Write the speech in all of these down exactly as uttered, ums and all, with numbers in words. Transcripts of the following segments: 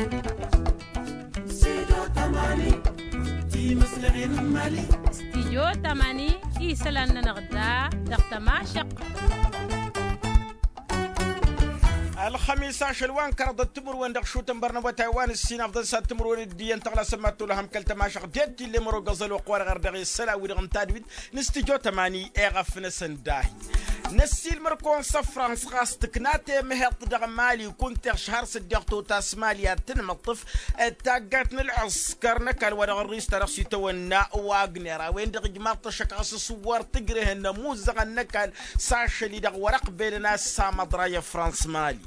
Stijyo tamani. Isălan-nănăɣ da dăɣ-tămašăq. Ălxămis ašăl wa n-kăraḍăt timǝrwen dăɣ-išutăn bărnăbătay wa n-ǝssin afḍăn s-ad-timǝrwen d-iyyăn tăɣlasăn mad-tolăhăm kăl-tămašăq d-e-d tillem ărogăẓăl oqq-wa-dăɣ ărdăɣ i-isălan-wi-dăɣ n-tadwit n-stijyo tamani. Eɣăf-năsăn dahi năssiilmăr-kăwăn s-ăfrans ɣas tǝkna temheḍt dăɣ-mali kunta iɣš har s-dd-iɣtot asmali ad-tǝnmǝṭṭǝf d-taggayt n-ălɣǝskăr n-ăkall wa dăɣ-ărris ta dăɣ-s itawănna wagner a-wen-dăɣ ijmaḍ-t ăššăk ɣas s-wăr tǝjrehăn ămuzzăɣăn n-ăkall s-ašăl-i-dăɣ wăr-ăqbelăn a ăssamăḍra i-ăfrans mali.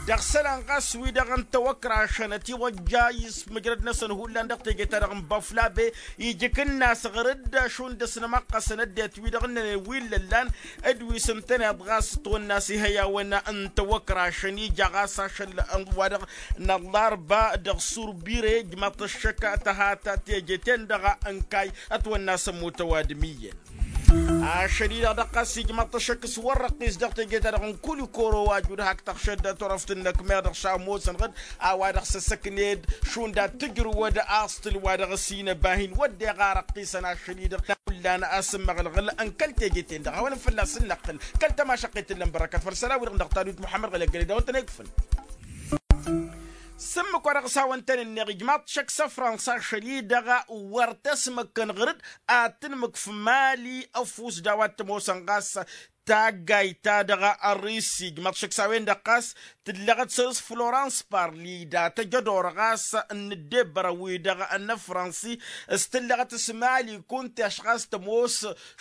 Dăɣ-isălan ɣas wi-dăɣ ǝnta wăkrašăn ătiwăjja ismǝjrăd-năsăn hullan dăɣ-teje-ta-dăɣ n-băflabe ijǝk-ǝnn a-s ɣăr-dd šund ăsnămăqqăsăn ăddinăt wi-dăɣ ǝnnănen wi n-lăllan d-wi s-ǝntăneḍ ɣas ătwănna a-s ihăyawăn n-tawăkrašăn ija ɣas ašăl wa-dăɣ n-ăllarba dăɣ-surbire ijmaḍ-t ăššăk tăhat teje-ten-dăɣ ǝnkay ătwănna a-s ămmut ăwadǝm iyyăn. Ašăl-i-dăɣ dăɣ-ɣas ijmaḍ-t ăššăk s-wăr-răqqis dăɣ-teje-ta-dăɣ n-kulikoro wa jud hak tăɣšăd turăft n-inǝkmeɣ dăɣ-šaw ămoosăn ɣǝd a-wa dăɣ-s ăssăkned šund ad-tǝjrǝwăd aẓtǝl wa dăɣ-s inăba hin-wădden iɣar ăqqisăn ašăl-i-dăɣ n-a hullan asǝmmăɣlăɣǝl n-kăl-teje-ten-dăɣ hawăn-fălla-s ǝnnăqqǝl kăl-tămašăqqet tǝllăn bărăkăt făll-isălan-wi-dăɣ dăɣ-tadwit muḥămmăd ɣǝlăggăled a-wen-tăn-ikfǝn. S-ǝmmǝk wa dăɣ-s hawăn-tăn-ǝnneɣ ijmaḍ-t šăkk s-ăfrănsa ašăl-i-dăɣ wăr tăsmăkkăn ɣǝr-dd ad-tǝnmǝkf mali ăfuss d-a-wa t-ămoosăn ɣas taggayt-ta-dăɣ ărrisi ijmaḍ-t šăkk s-a-wen-dăɣ ɣas tǝllăɣăt săr-s florans parli datăj ădor ɣas n-ǝddebbărăn-wi-dăɣ n-ăfrănsi s-tǝllăɣăt s-mali kunta i-ašɣas tămoos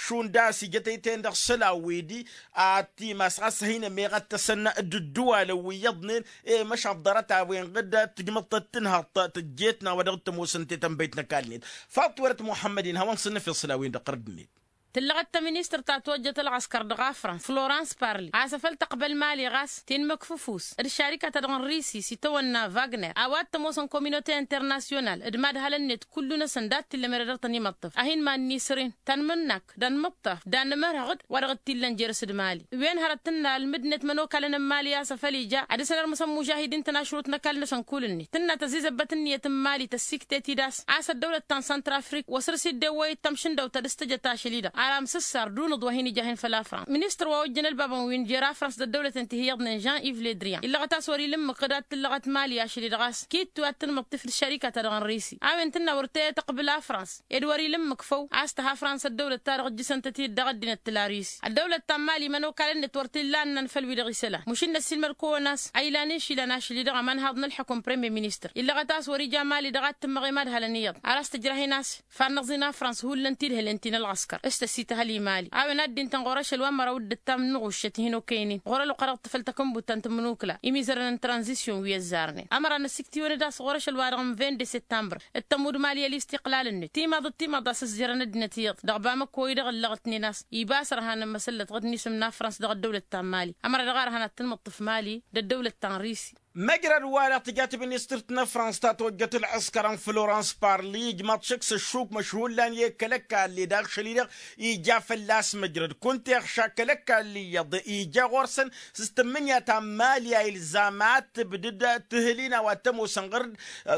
šund a-s ijăt ăytăyăn dăɣ-isălan-wi-di ad-t-imas ɣas a hin-ămeɣăttăsăn d-ǝddǝwalăn wi iyyăḍnen i-măšan ḍarăt a-wen-dăɣ tǝjmăḍ-tăt tǝnhăḍt tăjjet n-a-wa dăɣ-t-ămoosăn tetănbăyt n-ăkall-net. Faḍt-werăt muḥămmăd-in hawăn-săn-năfeḍ isălan-wi-dăɣ ɣărăd-net. Tǝllăɣăt tăministărt ta tojjăt ălɣăskăr dăɣ-afrăns florans parli a-s afăl tăqbăl mali ɣas tinmǝkf ăfuss d-šarika-ta-dăɣ n-risi s-itawănna vagner a-wa t-ămoosăn kominote internasyonal d-imadhalăn-net kullu-năsăn dat-t-illa merăd dăɣ-tăn-imăṭṭăf a hin-iman-ni săr-in tanmǝnnak d-anmǝṭṭaf d-anmărhăɣ-dd wa dăɣ-t-illan jer-s d-mali. Wen hărăt tǝnnal mǝddǝnet mănokalăn n-mali a-s afăl ija ad-dăr-săn ărmǝsăn mužahidin-tăn ašrut n-ăkall-năsăn kull-net tǝnna tăzzizăbbăt ǝnniyăt n-mali tăssiktăy-t-dd a-s a-s ăddăwlăt ta n-săntrafrik wa săr-s dd-ewwăy d-tamšǝndăwt ta dăr-s tăjăt ašăl-i-dăɣ ar amsǝssar d-unǝḍ wa hin-ija a hin-făl afrănsa. Ministăr wa ojjăn ălbabăn wi n-jer-afrănsa d-ăddăwlăten ti hi-iyyăḍnen jean iv ledrian illăɣăt a-s wăr-ila ǝmmǝk d-ad-tǝllăɣăt mali ašăl-i-dăɣ a-s kittu ad-tǝnmǝḍtǝf d-šarika-ta-dăɣ n-risi. A-wen tǝnna wăr t-tăqbǝl afrănsa ed wăr-ila ǝmmǝk făw a-s tăha fransa ăddăwlăt-ta-dăɣ ǝjjǝsăn-tăt-dd dăɣ-ăddinăt tǝla risi ăddăwlăt ta n-mali imănokalăn-net wăr t-illa ănnan făll-wi-dăɣ isălan mušǝnnăs ilmăr-kăwăn a-s a ilan inšilăn ašăl-i-dăɣ ămanhaḍ n-ălḥukǝm premier ministăr illăɣăt a-s wăr-ija mali dăɣ-ad-tǝmmăɣ i-madhălăn iyyăḍ ar a-s tǝjrah-in a-s fannăẓ-in afrăns hullan tidhǝlen ti n-ălɣăskăr s-tăssităhăl i-mali a-wen ad-dd-intăn ɣur-ašăl wa n-măraw d-ǝttam n-iɣuššăt hin-okăynen ɣur-ălwăqq-a-dăɣ tǝfăl takǝnbut ta n-tǝmmǝnukǝla imizărăn n-tranzisyon wi ăzzarnen ămăra n-ăsiktǝyăn d-a-s ɣur-ašăl wa dăɣ-n vinde septambăr d-tămmud mali ălistiqlal-net timaḍăt timaḍa s-ăzzărăn ăddinăt iyyăḍ dăɣ-bamăko-i-dăɣ ǝllăɣ-tnen a-s iba a-s ărhan n-imăsăllăt ɣǝd n-isǝm n-afrăns dăɣ-ăddăwlăt ta n-mali ămăra dăɣ-arhan ad-tǝnmǝṭṭǝf mali d-ăddăwlăt ta n-risi. Măjrăd-wa-dăɣ tǝja tministǝrt n-afrăns ta tojjăt ălɣǝskăr n-florans parli ijmaḍ šăkk s-ăššuk măšhullan i-kăl-ăkall-i d-ašăl-i-dăɣ ija fălla-s măjrăd kunta iɣša kăl-ăkall-i iyyăḍ ija ɣur-săn s-tǝmmǝnǝya ta n-mali a ilzam ad-tǝbdǝd tǝhǝl-in a-wa t-ămoosăn ɣăr-dd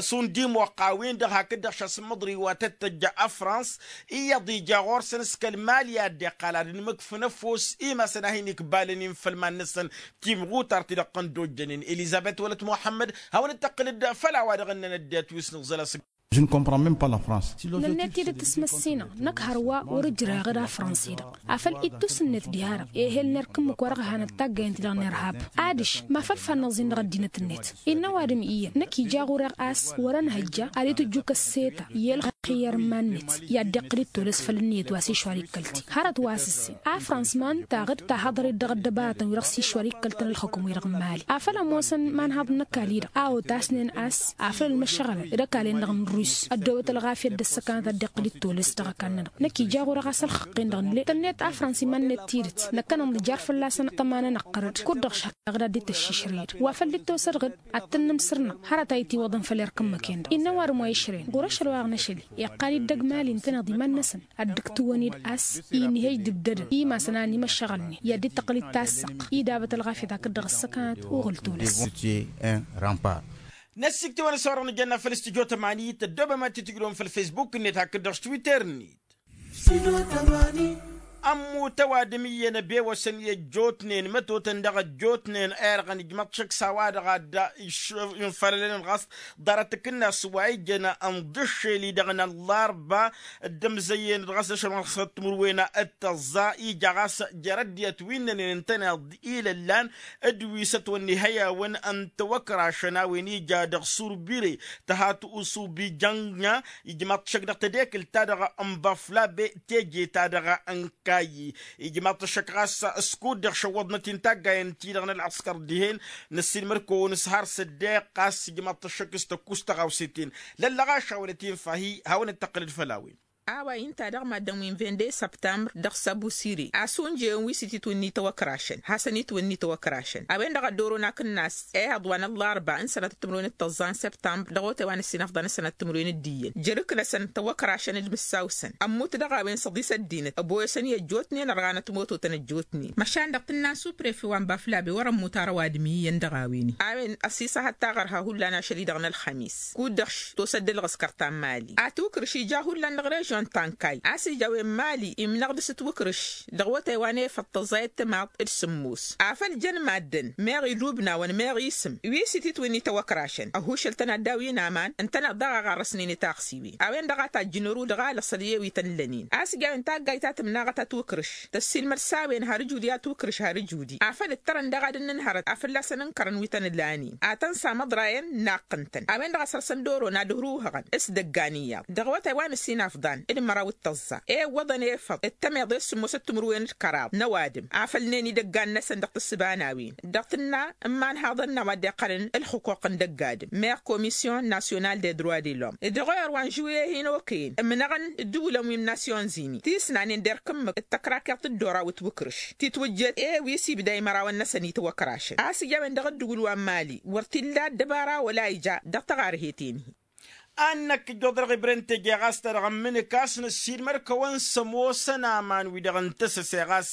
šund imoqq a-wen-dăɣ hakd-dăɣ šasǝmmăḍri wa tăt-tăjja afrăns iyyăḍ ija ɣur-săn s-kăl-mali a dd-iqqal ad-ǝnmǝkfǝn ăfuss imasăn a hin-ikbalăn-in făll-iman-năsăn timɣutart-i-dăɣ tăn-dd-ojjănen elizăbet wălăt muḥămmăd. Hawăn-dd-tăqqǝlăd făll-a-wa dăɣ-ǝnnăn ăddinăt wi s-nǝẓẓăl asǝgg. Nănnet-dd tǝsmăssinăɣ năkk hărwa wăr-ǝjrayăɣ d-afrănsa-i-dăɣ afăl ittus-net diha-dăɣ ehel n-erk ǝmmǝk wa dăɣ-hanăt taggayăn-t-dăɣ n-irhab. Adiš ma făl fannăẓ-in dăɣ-ăddinăt-net innă ăwadǝm iyyăn năkk ija ɣur-eɣ a-s wăr-ănhăjja ad-itǝjju kăsseta i-ălxăyyăr n-iman-net i-ad-dd-iqqǝl d-tolăs făll-ǝnniyăt wa s-išwar ikkăl-t-i hărăt wa s-ǝssin afrăns ma ǝnta ɣǝd tahăḍăret dăɣ-ăddăbarătăn wi-dăɣ s-išwar ikkăl-tăn ălxukǝm-wi-dăɣ n-mali afăl ămoosăn imanhaḍ n-ăkall-i-dăɣ a otasnen a-s afăl ălmăššăɣălăn d-ăkall-en-dăɣ n-rus ăddăwăt ălɣafyăt d-ăssăkanăt ad-dd-iqqǝl d-tolăs dăɣ-ăkall-nănăɣ. Năkk ija ɣur-eɣ a-s ălxăqqen-dăɣ nǝlle tănnet afrăns iman-net tidǝt năkkăneḍ nǝjar fălla-săn ăṭṭăma-nănăɣ ɣărăd kud-dăɣ šăhhăɣ d-ad-dd-tăššišrăyăd wa făl dd-tewsăd ɣǝd ad-tăn-nǝmsărnăɣ hărăt a itiwăḍăn făll-erk ǝmmǝk-en-dăɣ innă ăwadǝm wa išrăyăn ɣur-ašăl wa dăɣ-năšăl iqqal-dd dăgg-mali ǝntăneḍ iman-năsăn ad-dd-ǝktǝwăn-dd a-s inhăj d-ǝbdădăn imasăn a ănimăššăɣălnen i-ad-dd-tăqqǝl-dd tassăqq. I-dabăt ălɣafyăt hakd-dăɣ ăssăkanăt uɣǝl tolăs. N-ăssiktăwăn s-a-wa-dăɣ nǝjănna făll-studyo tămani tăddoobăm ad-t-tǝjrǝwăm făll-facebook-net hakd-dăɣ s-twitter-net. Ămmut ăwadǝm iyyăn ăbewăsăn i-ăjjootnen mătotăn dăɣ-ăjjootnen irɣăn ijmăḍ šăkk s-a-wa-dăɣ a dd-infălălăn ɣas ḍarăt akǝnnas wa ijăn ănḍǝššel-i-dăɣ n-ăllarba dd-ămzăyyăn-dd ɣas ašăl n-ɣas ăttmǝrwen d-tăẓẓa ija ɣas jer-ăddinăt wi ǝnnănen ǝntăneḍ ilăllan d-wi s-ătwănna ihăyawăn n-tiwăkrašăn a-wen ija dăɣ-surbire tăhat usubi jănna ijmaḍ-t šăkk dăɣ-tedekǝlt-ta-dăɣ n-băflabe teje-ta-dăɣ n-kayyi ijmaḍ-t šăkk ɣas s-kud-dăɣ šăwwăḍnăt-in taggayen-ti-dăɣ n-ălɣăskăr dihen năssiilmăr-kăwăn s-har s-ăddeeq ɣas ijmaḍ-t šăkk s-tăkkus tăɣawse-ten lăllăɣaš hawăn-ătinfah-i hawăn-dd-tăqqǝlăd făll-a-wen. A-wa inta dăɣ-maddǝn wi n-vende săbtămbr dăɣ-s ăbusire a-s unjăyăn wi s-ititwǝnni tăwăkrašăn hasăn-itwǝnni tăwăkrašăn a-wen-dăɣ a dd-oron akǝnnas ehăḍ wa n-ăllarba n-sănatăt timǝrwen d-tăẓẓa n-săbtămbr dăɣ-otay wa n-ăssinăfḍan n-sănatăt timǝrwen d-iyyăn jer-ǝknăsăn tăwăkrašăn d-imǝssaw-săn ămmut dăɣ-a-wen s-ăḍis ăddinăt ăboyăsăn i-ăjjootnen ărɣanăt mototăn ăjjootnen măšan dăɣ-tǝnna n-suprefe wa n-baflabe wăr-ămmut ara ăwadǝm iyyăn dăɣ-a-wen-i a-wen ăsisăhăt taɣărha hullan ašăl-i-dăɣ n-ălxămis kud-dăɣ š-tosădd ălɣǝskăr ta n-mali ad-tiwǝkrǝš ija hullan dăɣ-režion ta n-kay a-s ija a-wen mali imnăɣ dăɣ-s tiwǝkrǝš dăɣ-awătay wa n-efăḍ tăẓẓayăt timaḍt d-sǝmmos afăl jăn maddǝn meɣ ilubnawăn meɣ isǝm wi s-ititwǝnni tăwăkrašăn ăhušăl-tăn ad-daw-in aman ǝntăneḍ daɣ a ɣarrăsnen i-taɣsiwen a-wen-dăɣ a tajjǝn ărud ɣalăs ălyew-i tăn-lănen a-s ija a-wen taggayt ta tǝmnaɣăt a tiwǝkrǝš tăssiilmăd s-a-wen har ǝjud i-ad-tiwǝkrǝš har ǝjud-i afăl ǝttărăn daɣ ad-ǝnnǝnhărăt a fălla-săn ǝnkărăn wi tăn-ǝlanen ad-tăn-samăḍrayăn naqqǝn-tăn a-wen-dăɣ a săr-săn d-oron ad-ǝhruhăɣăn s-idăggan iyyăḍ dăɣ-awătay wa n-ǝssin afḍan d-măraw d-tăẓẓa ewwăḍăn efăḍ d-tămeḍe s-sǝmmosăt timǝrwen d-kăraḍ n-ăwadǝm afăl ǝnnen idăggan-năsăn dăɣ-tǝssǝba n-a-wen dăɣ-tǝnna n-imanhaḍăn n-a-wa dd-iqqălăn ǝlxǝquq n-dăgg-adǝm meɣ komisyon nasyonal de droit de lom dăɣ-oyer wa n-žuye hin-okăyăn ǝmnăɣăn ǝddǝwǝlăn wi n-nasyon zini tisnanen d-erk ǝmmǝk d-tăkrakeḍt d-oraw d-tiwǝkrǝš titwǝjjet e-wi s-ibda imărawăn-năsăn itwăkrašăn a-s ija a-wen dăɣ-ǝddǝwǝl wa n-mali wăr t-illa ăddăbara wăla ija dăɣ-taɣarhet-en-hi. Ad-năkk ǝjjuḍ dăɣ-ibre n-teje ɣas ta dăɣ-ămmǝnǝk a-s năssiilmăr-kăwăn s-ămoosăn aman-wi-dăɣ n-tăsăse ɣas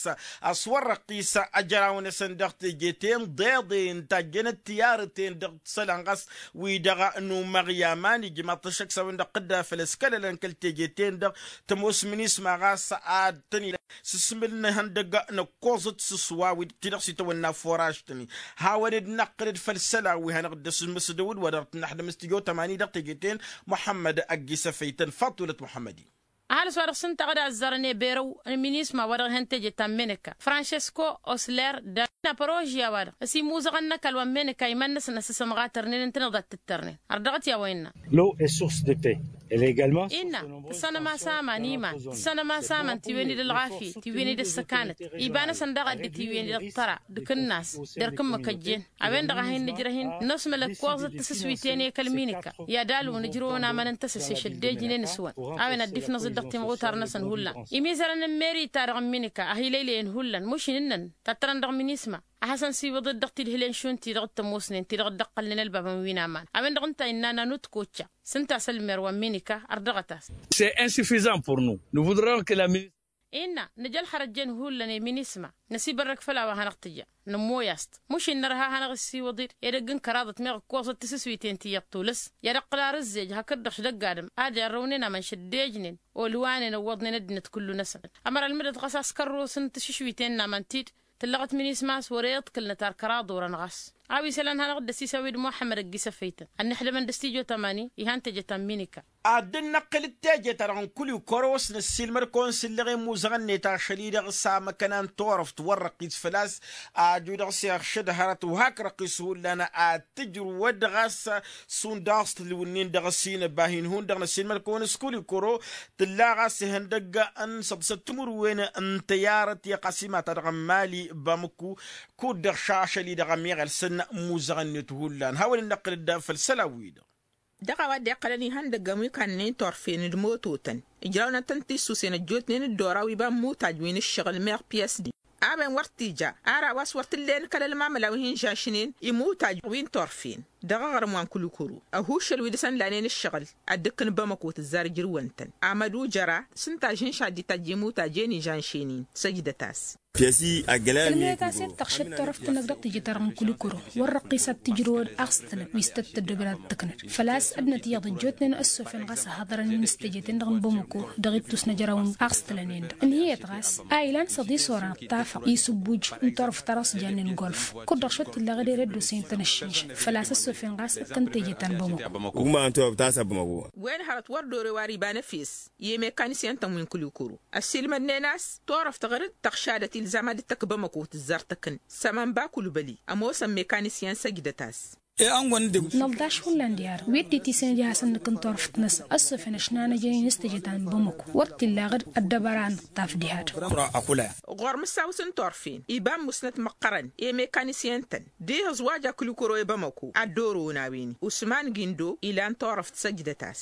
ăswărrăqqis ajăraw-năsăn dăɣ-teje-ten ḍeḍen tajjănăt tiyarăten dăɣ-isălan ɣas wi-dăɣ n-umăɣ i-aman ijmaḍ-t ăššăk s-a-wen-dăɣ tǝdda făll-ăskălălăn kăl-teje-ten-dăɣ tămoos minisma ɣas ad-tăn-ila s-asmǝl n-ihăndăgg n-ăkkoẓăt s-ăswa wi-dăɣ ti-dăɣ s-itawănna foraž-tăn-i hawăn-dd-năqqǝl-dd făll-isălan wi hanăɣ-dd-ăsmǝsdăw d-wa-dăɣ tǝnnaḥdăm s-tijo tămani dăɣ-teje-ten muḥămmăd ăgg-isăfăy-tăn faḍulăt muḥămmăd-i. Ăhalǝs wa-dăɣ s-ǝnta a dd-azzărăn eberăw n-minisma wa dăɣ-ihăn teje ta n-menăka francesko osler d-apărožya wa-dăɣ s-imuzăɣăn n-ăkall wa n-menăka iman-năsăn a-s s-ămɣatărnen ǝntăneḍ a t-ǝttărnen ar dăɣ-t i-a-wa innă. L'eau est source de paix. Innă tǝssanăm a-s aman iman tǝssanăm a-s aman tiwen-dd ălɣafyăt tiwen-dd ăssăkanăt iba-năsăn daɣ a dd-tiwen-dd ăṭṭăra d-akǝnnas d-erk ǝmmǝk ăjjeen a-wen-dăɣ a hin-nǝjrăh-in nosmăl ăkkoẓăt tasǝswiten i-kăl-minika i-ad-alwǝn ǝjrǝwăn aman n-tasăse šăddejnen s-wăn a-wen ad-dd-ifnăẓ-dd dăɣ-timɣutar-năsăn hullan imizărăn n-meri-ta-dăɣ n-minika a hi-lăylăyăn hullan mušin ǝnnăn tattărăn dăɣ-minisma a hasăn-siwǝḍ-dd dăɣ-tidhǝlen šund ti-dăɣ t-ămoosnen ti-dăɣ dd-ăqqălnen ălbabăn wi-n-aman a-wen-dăɣ ǝnta innă nanut kočča s-ǝnta a-s ălmer wa n-minika ărdăɣăt-as. C'est insuffisant pour nous nous voudrons que la ministre. Innă nǝj' ălxărăt jen hullan i-minisma năsibărrăk făll-a-wa hanăɣ-tǝja nămmoy-as-t mušin nărha a hanăɣ-ăssiwǝḍ-dd edăgg n-kăraḍăt meɣ ǝkkoẓăt tasǝswiten ti iyyăḍ tulǝs i-ad-ăqqǝl arǝzzej hakd-dăɣ-š dăgg-adǝm ad-irrăwnen aman šăddejnen olwanen ǝwwăḍnen ăddinăt kullu-năsăn. Ămăra ălmǝdăt ɣas a-s kărrus n-tašǝšwiten n-aman-t-dd tǝllăɣăt minisma a-s wăr-e iḍkǝlnăt ar kăraḍ orăn ɣas a-wa isălan hanăɣ-dd-ăsisăwed muḥămmăd ăgg-isăfăy-tăn ănnăḥdămăn d-ăstijo tămani ihan teje ta n-minika. Ad-dd-năqqǝl d-teje-ta-dăɣ n-kulikoro s-năssiilmăr-kăwăn s-ǝllăɣen imuzăɣăn-net ašăl-i-dăɣ s-amăkăna n-turăft wăr-răqqit făl-a-s aju dăɣ-s iɣšăd hărăt wa hak răqqis hullan ad-tǝjrǝwăd ɣas šund a-s tǝlwǝnnin dăɣ-s inǝbah-in hundăɣ năssiilmăr-kăwăn s-kulikoro tǝlla ɣas ihăndăgg n-săḍsăt timǝrwen n-tăyarăt i-ăqasima-ta-dăɣ n-mali bamǝku kud-dăɣ šašăl-i-dăɣ ămiɣăl s-ănn imuzăɣăn-net hullan hawăn-dd-năqqǝl-dd făll-isălan-wi-dăɣ. Dăɣ-a-wa dd-iqqălăn ihăndăggăn wi kannăyăn turfen d-mototăn ǝjrawnăn-tăn tissusen ăjjootnen d-oraw iba n-imutaj wi n-ǝššăɣǝl meɣ piyăsnen a-wen wăr t-ija ara wa s-wăr t-ǝllen kăl-ălmamăla wi hin-žašnen imutaj wi n-turfen. Dăɣ-aɣrǝm wa n-kulikuru ăhuuššăl wi dăr-săn lanen ǝššăɣǝl ad-dd-ǝkkǝn bamăko tǝzzar ǝjrǝwăn-tăn. Amădu jăra s-ǝnta a žǝnš ad-dd-itajj i-imutaj i-inižan šenin. Săjdăt-as. Ǝlmǝyăt a-s i-dd-tăɣšăt turăft-năk dăɣ-teje-ta-dăɣ n-kulikuru wăr răqqis ad-t-tǝjrǝwăd. Aɣstălăn wi s-tăt-tăddobed ad-t-tǝknăd făl-a-s ăddinăt iyyăḍ ăjjootnen ăssofăn ɣas ăhhăḍărăn i-inǝstăjeten-dăɣ n-bamăko dăɣ-ittus n-ejăraw n-aɣstălăn-en-dăɣ ǝnhǝyăt ɣas a ilan s-ad-isorăn ăṭṭafăɣ isǝbbuj n-turăft ta dăɣ-s jannen golf. Kud-dăɣ šăt illa ɣǝd ere dd-osăyăn-tăn ăššinšăl făl-a-s ăssofăn ɣas ǝkkăn teje ta n-bamăko. Wen hărăt wăr dore wa ăriba n-efes i-mekanisyen-tăn wi n-kulikuru ăssiilmădnen a-s turăft ɣǝr-dd tăɣšadăt ilzam ad-dd-tăkk bamăko tǝzzar tăkk-n. Sămănba kulbăli ămoosăn mekanisyen săjdăt-as. Năldaš hullan diha-dăɣ wi dd-itisăn ija hasăn-nǝkkǝn turăft-năsăn ăssofăn ăšnanăjăn i-inǝstăjăt ta n-bamăko wăr t-illa ɣǝd ăddăbara a nǝṭṭaf diha-dăɣ. Ɣur-mǝssaw s-n-turfen iba n-musnăt măqqărăn i-mekanisyen-tăn d-ihǝẓwaj a kulikuro i-bamăko ad-dd-orăwăn a-wen-i usman gindo ilan turăft săjdăt-as.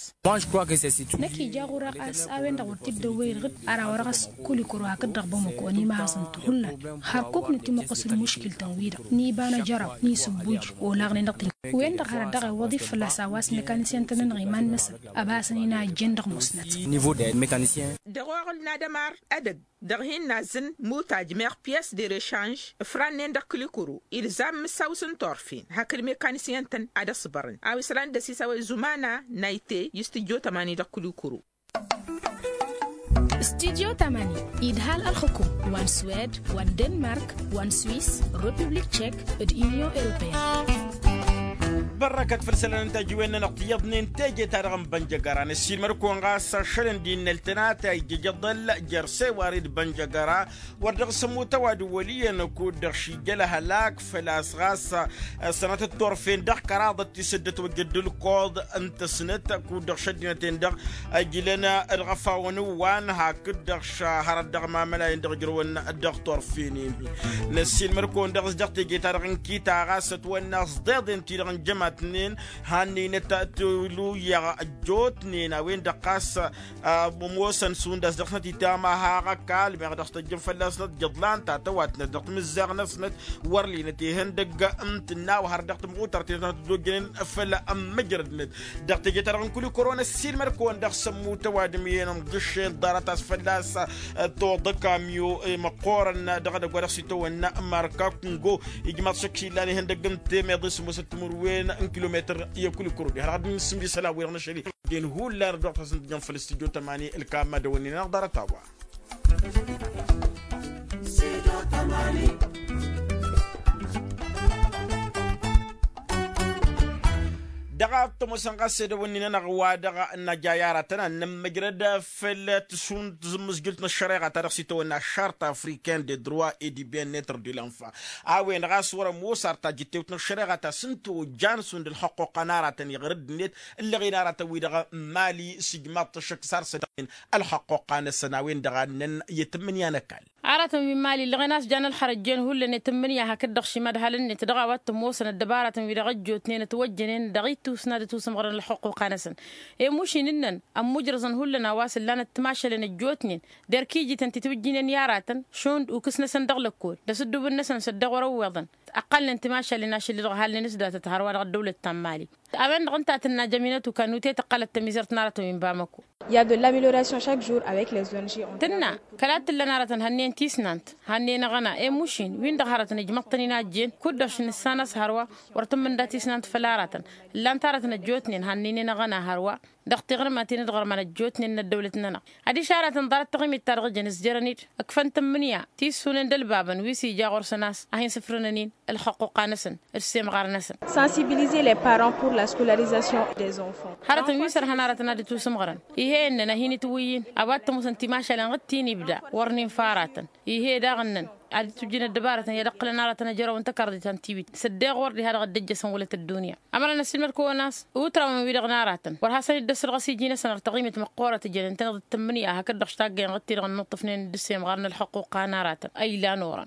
Năkk ija ɣur-a a-s a-wen-dăɣ wăr t-dd-ăwwăyăd ɣǝd ara wăr-ɣas kulikuro hakd-dăɣ bamăko ănimahăẓăn-t hullan. Hărkuk nǝtimăqqǝs d-muškil-tăn-wi-dăɣ n-iba n-ajăraw n-isǝbbuj olaɣnen dăɣ-tǝnj. Wen-dăɣ hărăt dăɣ-iwwăḍ-i fălla-s a-wa s-mekanisyen-tăn-nănăɣ iman-năsăn ăbasăn-in a ǝjjen dăɣ-musnăt. Dăɣ-oɣǝl n-ad-ămar edăgg dăɣ-hin-nazzǝn mutaj meɣ pyes de rešanž ǝfrannen dăɣ-kǝlikuru ilzam mǝssaw s-n-turfen hakd mekanisyen-tăn ad-ăṣbărăn a-wa isălan dd-ăsisawăy zumana nayte i-studyo tămani dăɣ-kǝlikuru. Studyo tămani idhal ălxǝkum wa n-swed wa n-denmark wa n-swis, republik tšek d-unyon europeyăn. Bărrăkăt făll-isălan n-tajiwen-nănăɣ tiyyăḍnen teje-ta-dăɣ n-bănjăgăra năssiilmăd-kăwăn ɣas ašăl n-dd-innăl tănatay jăjăḍăl jer-sewari d-bănjăgăra wăr dăɣ-s ămmut ăwadǝm wăl' iyyăn kud-dăɣ šijjăl ăhălak făl-a-s ɣas ăssănătăt turfen dăɣ-kăraḍăt tisǝddǝt wăjjăd d-ǝlkoḍ n-tăsnăt kud-dăɣ šăddinăt-en-dăɣ ăjlăn d-iɣăfawăn ǝwwan hakd-dăɣ šahărăt dăɣ-mamălayăn dăɣ-ǝjrăwăn dăɣ-turfenen-hi. Năssiilmăd-kăwăn dăɣ-s dăɣ-teje-ta-dăɣ n-kita ɣas ătwănna s-ḍeḍen-ti-dăɣ n-jămatnen hannăynăt tǝluyăɣ ăjjootnen a-wen-dăɣ ɣas ămoosăn šund a-s dăɣ-snăt itamaha ɣăkall meɣ dăɣ-s tăjjăn fălla-snăt jăḍlan tatăwatnăt dăɣ-timǝzzaɣ-năsnăt wăr linăt ihăndăgg n-tǝnna wa hărăt dăɣ-timɣutărt inătnăt dd-ojjănen făll-ămmǝjrădnăt. Dăɣ-teje-ta-dăɣ n-kulikuro năssiilmăd-kăwăn dăɣ-sămmut ăwadǝm iyyăn ămjǝššen ḍarăt a-s fălla-s toḍăkam i-măqqoorăn dăɣ-edăgg wa dăɣ-s itawănna marka kungo ijmaḍ šăkk š-illan ihăndăgg n-temeḍe s-ămoosăt timǝrwen n-kilometăr i-kulikuro diha-dăɣ ad-dd-nǝsǝmbi isălan-wi-dăɣ n-ašăl-i. Ăddin hullan ărdăɣ-tasăn tǝjjăn făll-studyo tămani ǝlkamma dăwănnin-anăɣ ḍarăt a-wa. Dăɣ-a t-ămoosăn ɣas edăwănnin-anăɣ wa dăɣ-năja i-aratăn ad-nămmăjrăd făll-tǝssun tǝzǝmmǝzjǝlt n-ăššăreɣa ta dăɣ-s itawănna ăššart africain de droit et du bien-être de l'enfant. A-wen ɣas wăr-ămoos ar tajǝttewt n-ăššăreɣa ta s-ǝnta ojjan šund ǝlxăqquqa n-aratăn iɣrǝd-net ǝllăɣen aratăn-wi-dăɣ n-mali s-ijmaḍ-t ăššăk s-arsădăɣen ălxăqquqa-năsăn a-wen-dăɣ a ǝnnăn i-tǝmmǝnǝya n-ăkall. Aratăn wi n-mali ǝllăɣen a-s jan ălxărăt jen hullan i-tǝmmǝnǝya hakd-dăɣ šimad halăn-net dăɣ-a-wa t-ămoosăn ăddăbaratăn wi-dăɣ ăjjootnen ătwăjjănen dăɣ-itusna d-ătusǝmɣărăn ălxăqquqa-năsăn. I-mušin ǝnnăn ămmujrăẓăn hullan a-wa s-ǝllanăt timašalen ăjjootnen d-erk ijităn ti tiwǝjjinen i-aratăn šund ukǝs-năsăn dăɣ-lăkkol d-asǝddubǝn-năsăn s-ăddeɣ wăr-ăwweḍăn. Ăqqalnen timašalen ašăl-i-dăɣ ăhalnen s-datăt hărwa dăɣ-ăddăwlăt ta n-mali. A-wen-dăɣ ǝnta a tǝnna jăminăt ukanute tăqqălăt tămizărt n-aratăn wi n-bamăko. Il y a de l'amélioration chaque jour avec les ong. Tǝnna kăla t-ǝllăn aratăn hănnen tisnant hănnen aɣăna i-mušin win-dăɣ hărătăn ǝjmăḍ-tăn-in a ăjjeen kud-dăɣ š-nǝssan a-s hărwa wăr tǝmmǝnda tisnant făll-aratăn. Ǝllan-t aratăn ăjjootnen hannăynen aɣăna hărwa dăɣ-tiɣrǝmaten d-iɣărman ăjjootnen n-ăddăwlăt-nănăɣ. Adiš aratăn ḍarăt taɣimit-ta-dăɣ jăn ǝzjărăn-dd ǝkfăn tǝmmǝnǝya tissunen d-ălbabăn wi s-ija ɣur-săn a-s a hin-sǝfrǝnăn-in ǝlxăqquqa-năsăn d-semɣar-năsăn. Sensibiliser les parents pour la scolarisation des enfants. Hărătăn wi s-ărhăn aratăn ad-ǝtusǝmɣărăn ih'-e ǝnnăn a hin-itwǝyyǝn a-wa t-ămoosăn timašalen ɣǝd ti n-ibda wăr n-infa aratăn. Ih'-e daɣ ǝnnăn ad-dd-tujjǝn ăddăbarătăn i-ad-ǝqqǝlăn aratăn ejăraw n-tăkarḍit ta n-tiwit s-ăddeɣ wăr diha-dăɣ dd-ăjjăsăn wălăt ăddunya. Ămăra năssiilmăd-kăwăn a-s utrawăn-wi-dăɣ n-aratăn wăr hasăn-dd-ăssărɣăs iji-năsăn ăr taɣimit măqqoorăt ǝjănen-tăn-dd d-tǝmmǝnǝya hakd-dăɣ štaggăyăn ɣǝd-ti-dăɣ ǝnnǝṭṭǝfnen d-ǝssemɣar n-ălxăqquqa n-aratăn a ilan orăn.